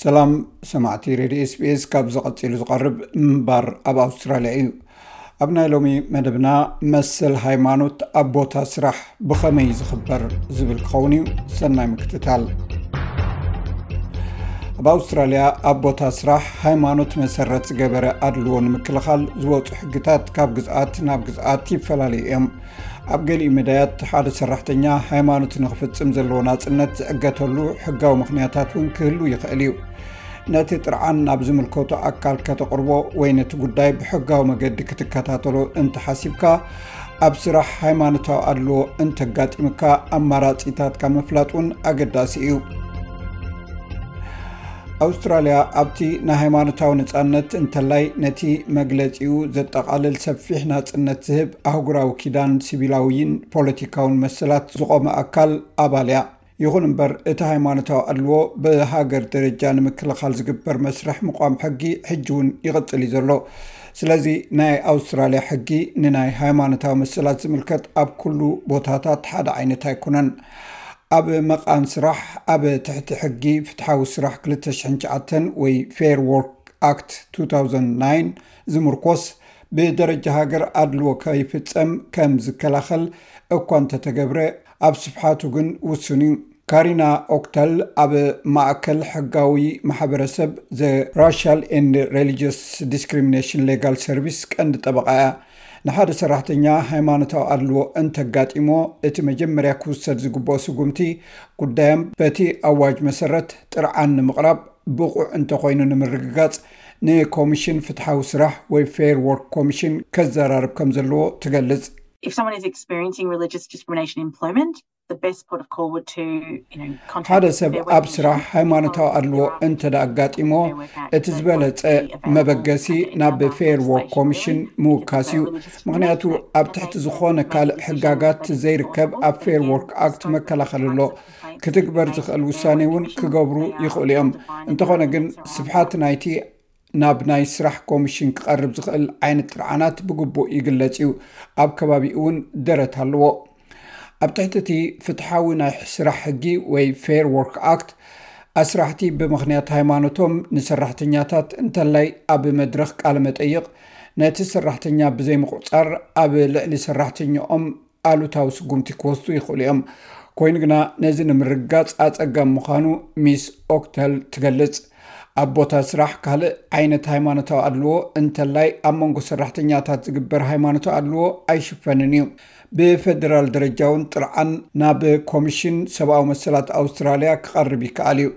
ሰላም ሰማዕቲ ሬድዮ ኤስቢኤስ፣ ካብ ዝቐጺሉ ዝቐርብ ምንባር ኣብ ኣውስትራልያ እዩ። ኣብ ናይ ሎሚ መደብና፣ መሰል ሃይማኖት ኣብ ቦታ ስራሕ ብኸመይ ዝኽበር ዝብል ክኸውን እዩ። ሰናይ ምክትታል። ኣብ ኣውስትራልያ ኣብ ቦታ ስራሕ ሃይማኖት መሰረት ዝገበረ ኣድልዎ ንምክልኻል ዝወፁ ሕግታት ካብ ግዝኣት ናብ ግዝኣት ይፈላለዩ እዮም። ኣብ ገሊኡ መዳያት ሓደ ሰራሕተኛ ሃይማኖት ንኽፍጽም ዘለዎ ናጽነት ዝዕገተሉ ሕጋዊ ምኽንያታት እውን ክህሉ ይኽእል እዩ። ነቲ ጥርዓን ናብ ዝምልከቶ ኣካል ከተቕርቦ ወይ ነቲ ጉዳይ ብሕጋዊ መገዲ ክትከታተሎ እንተሓሲብካ፣ ኣብ ስራሕ ሃይማኖታዊ ኣድልዎ እንተጋጢምካ ኣማራጺታትካ ምፍላጥ እውን ኣገዳሲ እዩ። ኣውስትራልያ ኣብቲ ናይ ሃይማኖታዊ ነጻነት እንተላይ ነቲ መግለጺኡ ዘጠቓልል ሰፊሕ ናጽነት ዝህብ ኣህጉራዊ ኪዳን ሲቪላዊን ፖለቲካውን መሰላት ዝቖመ ኣካል ኣባል እያ። ይኹን እምበር፣ እቲ ሃይማኖታዊ ኣድልዎ ብሃገር ደረጃ ንምክልኻል ዝግበር መስርሕ ምቋም ሕጊ ሕጂ እውን ይቕጽል እዩ ዘሎ። ስለዚ ናይ ኣውስትራልያ ሕጊ ንናይ ሃይማኖታዊ መሰላት ዝምልከት ኣብ ኩሉ ቦታታት ሓደ ዓይነት ኣይኮነን። ኣብ መቓን ስራሕ ኣብ ትሕቲ ሕጊ ፍትሓዊ ስራሕ ክልተ ሽሕን ትሽዓተን ወይ ፌር ዎርክ ኣክት ቱ ታውዘንድ ናይን ዝምርኮስ ብደረጃ ሃገር ኣድልዎ ከይፍጸም ከም ዝከላኸል እኳ እንተተገብረ ኣብ ስፍሓቱ ግን ውሱን እዩ። ካሪና ኦክተል ኣብ ማእከል ሕጋዊ ማሕበረሰብ ዘ ራሻል ኤንድ ሬሊጅስ ዲስክሪሚኔሽን ሌጋል ሰርቪስ ቀንዲ ጠበቓ እያ። ንሓደ ሰራሕተኛ ሃይማኖታዊ ኣድልዎ እንተጋጢሞ እቲ መጀመርያ ክውሰድ ዝግብኦ ስጉምቲ ጉዳዮም በቲ ኣዋጅ መሰረት ጥርዓን ንምቕራብ ብቑዕ እንተኾይኑ ንምርግጋጽ ንኮሚሽን ፍትሓዊ ስራሕ ወይ ፌር ዎርክ ኮሚሽን ከዘራርብ ከም ዘለዎ ትገልጽ። If someone is experiencing religious discrimination in employment, the best port of call would to, you know, contact ሓደ ሰብ ኣብ ስራሕ ሃይማኖታዊ ኣድልዎ እንተ ደኣ ኣጋጢሞ፣ እቲ ዝበለጸ መበገሲ ናብ ፌር ዎርክ ኮሚሽን ምውካስ እዩ። ምኽንያቱ ኣብ ትሕቲ ዝኾነ ካልእ ሕጋጋት ዘይርከብ ኣብ ፌር ዎርክ ኣክት መከላኸሊ ኣሎ። ክትግበር ዝኽእል ውሳኔ እውን ክገብሩ ይኽእሉ እዮም። እንተኾነ ግን ስፍሓት ናይቲ ናብ ናይ ስራሕ ኮሚሽን ክቐርብ ዝኽእል ዓይነት ጥርዓናት ብግቡእ ይግለጽ እዩ። ኣብ ከባቢኡ እውን ደረት ኣለዎ። ኣብ ትሕቲ እቲ ፍትሓዊ ናይ ስራሕ ሕጊ ወይ ፌር ዎርክ ኣክት፣ ኣስራሕቲ ብምኽንያት ሃይማኖቶም ንሰራሕተኛታት እንተላይ ኣብ መድረኽ ቃለ መጠይቕ ነቲ ሰራሕተኛ ብዘይምቑጻር ኣብ ልዕሊ ሰራሕተኛኦም ኣሉታዊ ስጉምቲ ክወስዱ ይኽእሉ እዮም። ኮይኑ ግና ነዚ ንምርግጋጽ ኣጸጋሚ ምዃኑ ሚስ ኦክተል ትገልጽ። ኣብ ቦታ ስራሕ ካልእ ዓይነት ሃይማኖታዊ ኣድልዎ እንተላይ ኣብ መንጎ ሰራሕተኛታት ዝግበር ሃይማኖታዊ ኣድልዎ ኣይሽፈንን እዩ። ብፌደራል ደረጃ እውን ጥርዓን ናብ ኮሚሽን ሰብኣዊ መሰላት ኣውስትራልያ ክቐርብ ይከኣል እዩ።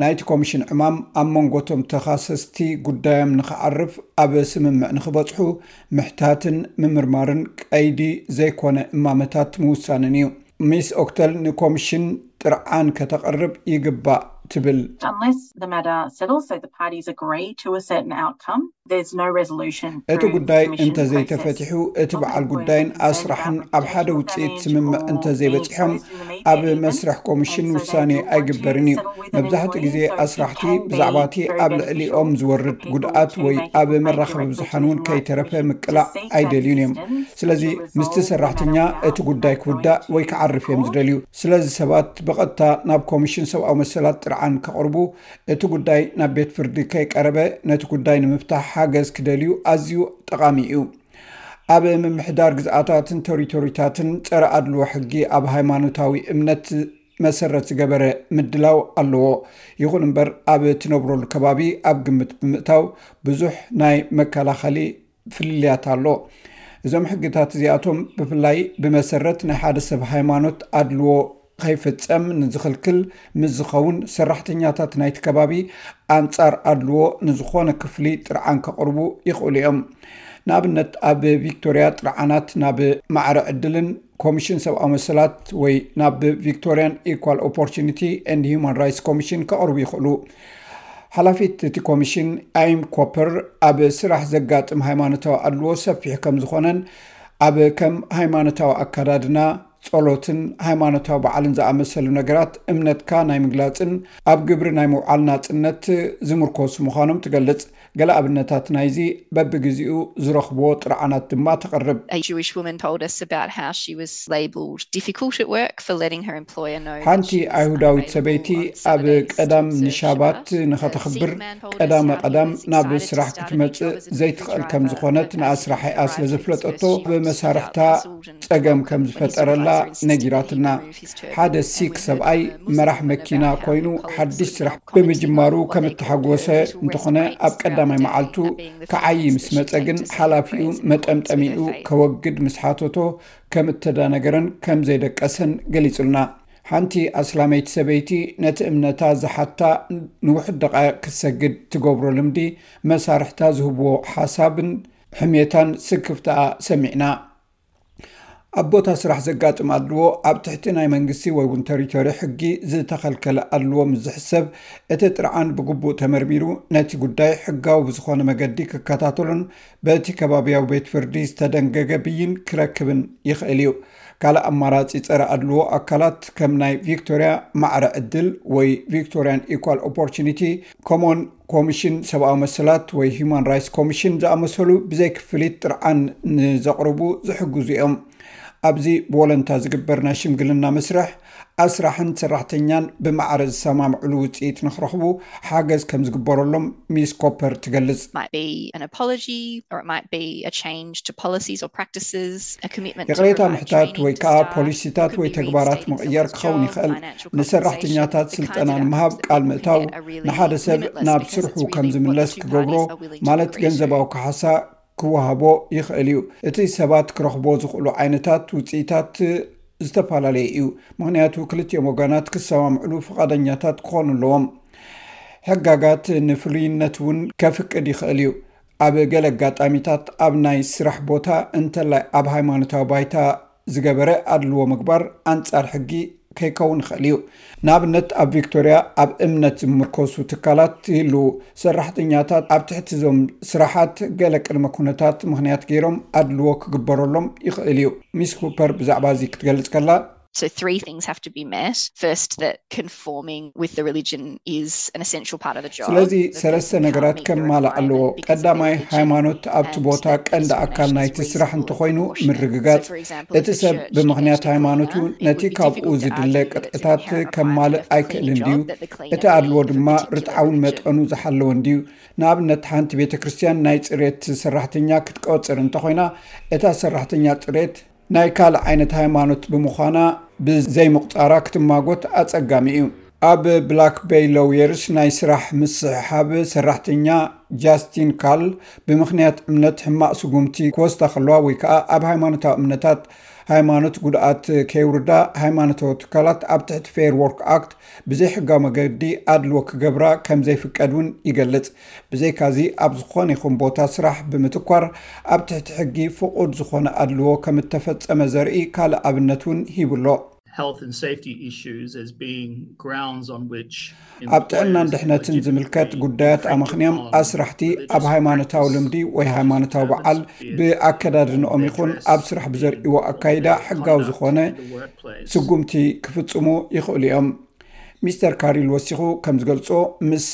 ናይቲ ኮሚሽን ዕማም ኣብ መንጎ እቶም ተኻሰስቲ ጉዳዮም ንኽዓርፍ ኣብ ስምምዕ ንኽበጽሑ ምሕታትን ምምርማርን ቀይዲ ዘይኮነ እማመታት ምውሳንን እዩ። ሚስ ኦክተል ንኮሚሽን ጥርዓን ከተቕርብ ይግባእ ትብል። Unless the matter settles, so the parties agree to a certain outcome, there's no resolution. እቲ ጉዳይ እንተዘይተፈቲሑ፣ እቲ በዓል ጉዳይን ኣስራሕን ኣብ ሓደ ውፅኢት ስምምዕ እንተዘይበፂሖም፣ ኣብ መስርሕ ኮሚሽን ውሳኔ ኣይግበርን እዩ። መብዛሕትኡ ግዜ ኣስራሕቲ ብዛዕባ እቲ ኣብ ልዕሊኦም ዝወርድ ጉድኣት ወይ ኣብ መራኸቢ ብዙሓን እውን ከይተረፈ ምቅላዕ ኣይደልዩን እዮም። ስለዚ ምስቲ ሰራሕተኛ እቲ ጉዳይ ክውዳእ ወይ ክዓርፍ እዮም ዝደልዩ። ስለዚ ሰባት ብቐጥታ ናብ ኮሚሽን ሰብኣዊ መሰላት ጥርዓን ከቕርቡ፣ እቲ ጉዳይ ናብ ቤት ፍርዲ ከይቀረበ ነቲ ጉዳይ ንምፍታሕ ሓገዝ ክደልዩ ኣዝዩ ጠቓሚ እዩ። ኣብ ምምሕዳር ግዝኣታትን ቴሪቶሪታትን ጸረ ኣድልዎ ሕጊ ኣብ ሃይማኖታዊ እምነት መሰረት ዝገበረ ምድላው ኣለዎ። ይኹን እምበር ኣብ ትነብረሉ ከባቢ ኣብ ግምት ብምእታው ብዙሕ ናይ መከላኸሊ ፍልልያት ኣሎ። እዞም ሕግታት እዚኣቶም ብፍላይ ብመሰረት ናይ ሓደ ሰብ ሃይማኖት ኣድልዎ ከይፍጸም ንዝኽልክል ምስ ዝኸውን ሰራሕተኛታት ናይቲ ከባቢ ኣንጻር ኣድልዎ ንዝኾነ ክፍሊ ጥርዓን ከቕርቡ ይኽእሉ እዮም። ንኣብነት ኣብ ቪክቶርያ ጥርዓናት ናብ ማዕረ ዕድልን ኮሚሽን ሰብኣዊ መሰላት ወይ ናብ ቪክቶርያን ኢኳል ኦፖርቹኒቲ ኤንድ ሂውማን ራይትስ ኮሚሽን ከቕርቡ ይኽእሉ። ሓላፊት እቲ ኮሚሽን ኣይም ኮፐር ኣብ ስራሕ ዘጋጥም ሃይማኖታዊ ኣድልዎ ሰፊሕ ከም ዝኾነን ኣብ ከም ሃይማኖታዊ ኣካዳድና፣ ጸሎትን ሃይማኖታዊ በዓልን ዝኣመሰሉ ነገራት እምነትካ ናይ ምግላጽን ኣብ ግብሪ ናይ ምውዓል ናጽነት ዝምርኮሱ ምዃኖም ትገልጽ። ገለ ኣብነታት ናይዚ በብግዜኡ ዝረኽብዎ ጥርዓናት ድማ ተቕርብ። A Jewish woman told us about how she was labelled difficult at work for letting her employer know that ሓንቲ she was ኣይሁዳዊት unavailable ሰበይቲ on ኣብ Saturdays ቀዳም to serve ንሻባት Shabbat. A ንኸተኽብር Sikh man told us ቀዳመ how he ቀዳም was ናብ excited to ስራሕ start a new ክትመጽእ job as a ዘይትኽእል delivery ከም driver, ዝኾነት but ንኣስራሒኣ unavailable ስለ for ዝፍለጠቶ Christmas, she was ብመሳርሕታ felt puzzled and ጸገም broken ከም when his ዝፈጠረላ supervisor insisted that he ነጊራትና። remove his turban, ሓደ and we ሲክ heard ሰብኣይ from a Muslim መራሕ woman መኪና about how ኮይኑ her colleagues ሓድሽ were ስራሕ now commenting ብምጅማሩ on what they called ከምተሓጎሰ her little red እንተኾነ break ኣብ as ቀዳማይ Saturday መዓልቱ night being the first ክዓዪ time ምስ she መጸ had ግን to say ሓላፊኡ praise and comments with መጠምጠሚኡ her faith. ከወግድ ምስ ሓተቶ ከም እተዳነገረን ከም ዘይደቀሰን ገሊጹልና። ሓንቲ ኣስላመይቲ ሰበይቲ ነቲ እምነታ ዝሓታ ንውሕድ ደቓይቕ ክትሰግድ ትገብሮ ልምዲ መሳርሕታ ዝህብዎ ሓሳብን ሕሜታን ስክፍታኣ ሰሚዕና። ኣብ ቦታ ስራሕ ዘጋጥም ኣድልዎ ኣብ ትሕቲ ናይ መንግስቲ ወይ እውን ተሪቶሪ ሕጊ ዝተኸልከለ ኣድልዎ ምስ ዝሕሰብ እቲ ጥርዓን ብግቡእ ተመርሚሩ ነቲ ጉዳይ ሕጋዊ ብዝኾነ መገዲ ክከታተሉን በቲ ከባቢያዊ ቤት ፍርዲ ዝተደንገገ ብይን ክረክብን ይኽእል እዩ። ካልእ ኣማራጺ ጸረ ኣድልዎ ኣካላት ከም ናይ ቪክቶሪያ ማዕረ ዕድል ወይ Victorian Equal Opportunity ከምኡውን ኮሚሽን ሰብኣዊ መሰላት ወይ Human Rights Commission ዝኣመሰሉ ብዘይ ክፍሊት ጥርዓን ንዘቕርቡ ዝሕግዙ እዮም። ኣብዚ ብወለንታ ዝግበር ናይ ሽምግልና መስርሕ ኣስራሕን ሰራሕተኛን ብማዕረ ዝሰማምዕሉ ውፅኢት ንክረኽቡ ሓገዝ ከም ዝግበረሎም ሚስ ኮፐር ትገልጽ። Might be an apology, or it might be a change to policies or practices, a commitment to ይቕሬታ provide ምሕታት training ወይ to ከዓ staff, ፖሊሲታት could ወይ be ተግባራት reinstating ምቕያር someone's ክኸውን job, ይኽእል። financial compensation, ንሰራሕተኛታት the kinds ስልጠና of ንምሃብ outcomes that ቃል we can ምእታው get are really ንሓደ ሰብ limitless ናብ because ስርሑ it's ከም really what the ዝምለስ two ክገብሮ parties are willing to ማለት agree to. ገንዘባዊ ካሕሳ ክወሃቦ ይኽእል እዩ። እቲ ሰባት ክረኽቦ ዝኽእሉ ዓይነታት ውፅኢታት ዝተፈላለየ እዩ። ምኽንያቱ ክልቲኦም ወገናት ክሰማምዕሉ ፍቓደኛታት ክኾኑ ኣለዎም። ሕጋጋት ንፍሉይነት እውን ከፍቅድ ይኽእል እዩ። ኣብ ገለ ኣጋጣሚታት ኣብ ናይ ስራሕ ቦታ እንተላይ ኣብ ሃይማኖታዊ ባይታ ዝገበረ ኣድልዎ ምግባር ኣንጻር ሕጊ ከይከውን ይኽእል እዩ። ንኣብነት ኣብ ቪክቶሪያ ኣብ እምነት ዝምርኮሱ ትካላት ይህልዉ። ሰራሕተኛታት ኣብ ትሕቲ እዞም ስራሓት ገለ ቅድመ ኩነታት ምኽንያት ገይሮም ኣድልዎ ክግበረሎም ይኽእል እዩ። ሚስ ኩፐር ብዛዕባ እዚ ክትገልጽ ከላ So three things have to be met. First, that conforming with the religion is an essential part of the job. ስለዚ The ሰለስተ person can't ነገራት meet the ከማልእ ኣለዎ። requirement because of ቀዳማይ their religion. ሃይማኖት ኣብቲ And ቦታ that ቀንዲ discrimination ኣካል is ናይቲ reasonable ስራሕ and እንተኾይኑ proportionate. ምርግጋጽ። So, for example, if እቲ the ሰብ church ብምኽንያት engaged a ሃይማኖቱ cleaner, it ነቲ would be ካብኡ difficult to ዝድለ argue that the ቅጥዕታት cleaner of a ከማልእ Catholic ኣይክእልን job, ድዩ? that the cleaner እቲ is ኣድልዎ of a ድማ particular ርትዓውን religion. መጠኑ ዝሓለወን ድዩ? ንኣብነት ሓንቲ ቤተ ክርስቲያን ናይ ጽሬት ሰራሕተኛ ክትቆጽር እንተኾይና እታ ሰራሕተኛ ጽሬት ናይ ካልእ ዓይነት ሃይማኖት ብምዃና ብዘይምቑጻራ ክትማጎት ኣጸጋሚ እዩ። ኣብ ብላክ ቤይ ሎውየርስ ናይ ስራሕ ምስሕሓብ ሰራሕተኛ ጃስቲን ካል ብምኽንያት እምነት ሕማቕ ስጉምቲ ክወስዳ ከለዋ ወይ ከዓ ኣብ ሃይማኖታዊ እምነታት ሃይማኖት ጉድኣት ከየውርዳ ሃይማኖታዊ ትካላት ኣብ ትሕቲ ፌር ወርክ ኣክት ብዘይሕጋዊ መገዲ ኣድልዎ ክገብራ ከም ዘይፍቀድ እውን ይገልጽ። ብዘይካዚ ኣብ ዝኾነ ይኹን ቦታ ስራሕ ብምትኳር ኣብ ትሕቲ ሕጊ ፍቑድ ዝኾነ ኣድልዎ ከም እተፈጸመ ዘርኢ ካልእ ኣብነት እውን ሂቡ ኣሎ። Health and safety issues as being grounds on which ኣብ ጥዕናን ድሕነትን ዝምልከት ጉዳያት ኣመኽንዮም ኣስራሕቲ ኣብ ሃይማኖታዊ ልምዲ ወይ ሃይማኖታዊ በዓል ብኣከዳድንኦም ይኹን ኣብ ስራሕ ብዘርእዎ ኣካይዳ ሕጋዊ ዝኾነ ስጉምቲ ክፍጽሙ ይኽእሉ እዮም። ሚስተር ካሪል ወሲኹ ከም ዝገልጾ ምስ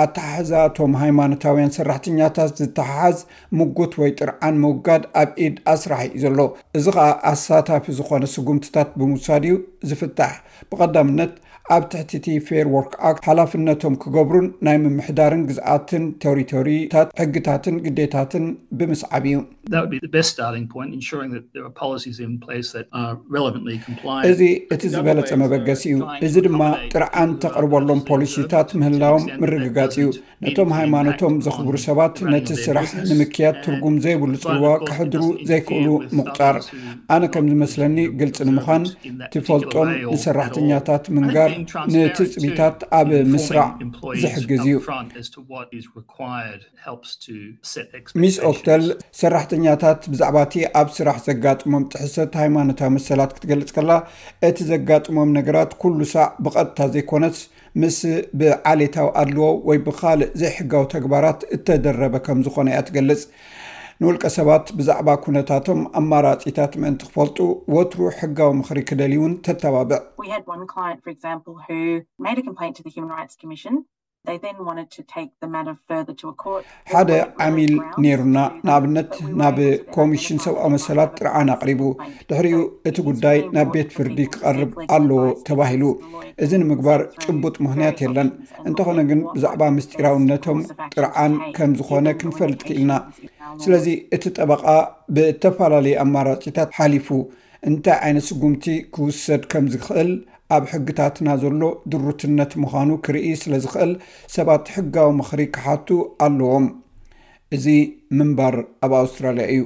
ኣተሓሕዛ እቶም ሃይማኖታውያን ሰራሕተኛታት ዝተሓሓዝ ምጉት ወይ ጥርዓን ምውጋድ ኣብ ኢድ ኣስራሒ እዩ ዘሎ። እዚ ኸኣ ኣሳታፊ ዝኾነ ስጉምትታት ብምውሳድ እዩ ዝፍታሕ። ብቐዳምነት ኣብ ትሕቲ እቲ ፌር ወርክ ኣክት ሓላፍነቶም ክገብሩን ናይ ምምሕዳርን ግዝኣትን ቴሪቶሪታት ሕግታትን ግዴታትን ብምስዓብ እዩ። That would be the best starting point, ensuring that there are policies in place that are relevantly compliant. እዚ እቲ ዝበለጸ መበገሲ እዩ። እዚ ድማ ጥርዓን ተቕርበሎም ፖሊሲታት ምህላዎም ምርግጋጽ እዩ። ነቶም ሃይማኖቶም ዘኽብሩ ሰባት ነቲ ስራሕ ንምክያድ ትርጉም ዘይብሉ ጽልዋ ከሕድሩ ዘይክእሉ ምቑጻር። ኣነ ከም ዝመስለኒ ግልጺ ንምዃን ትፈልጦን ንሰራሕተኛታት ምንጋር ንትጽቢታት ኣብ ምስራዕ ዝሕግዝ እዩ። Upfront as to what is required helps to set ሚስ expectations. ኦክተል ሰራሕተኛታት ብዛዕባ እቲ ኣብ ስራሕ ዘጋጥሞም ጥሕሰት ሃይማኖታዊ መሰላት ክትገልጽ ከላ እቲ ዘጋጥሞም ነገራት ኩሉ ሳዕ ብቐጥታ ዘይኮነስ ምስ ብዓሌታዊ ኣድልዎ ወይ ብኻልእ ዘይሕጋዊ ተግባራት እተደረበ ከም ዝኾነ እያ ትገልጽ። ንውልቀ ሰባት ብዛዕባ ኩነታቶም ኣማራጺታት ምእንቲ ክፈልጡ ወትሩ ሕጋዊ ምኽሪ ክደልዩ እውን ተተባብዕ። We had one client, for example, who made a complaint to the Human Rights Commission. They then wanted to take the matter further to a court. ሓደ ዓሚል ነይሩና፣ ንኣብነት ናብ ኮሚሽን ሰብኣዊ መሰላት ጥርዓን ኣቕሪቡ። ድሕሪኡ እቲ ጉዳይ ናብ ቤት ፍርዲ ክቐርብ ኣለዎ ተባሂሉ። እዚ ንምግባር ጭቡጥ ምኽንያት የለን። እንተኾነ ግን ብዛዕባ ምስጢራውነቶም ጥርዓን ከም ዝኾነ ክንፈልጥ ክኢልና። ስለዚ እቲ ጠበቓ ብእተፈላለየ ኣማራጺታት ሓሊፉ እንታይ ዓይነት ስጉምቲ ክውሰድ ከም ዝኽእል ኣብ ሕግታትና ዘሎ ድሩትነት ምዃኑ ክርኢ ስለ ዝኽእል ሰባት ሕጋዊ ምኽሪ ክሓቱ ኣለዎም። እዚ ምንባር ኣብ ኣውስትራልያ እዩ።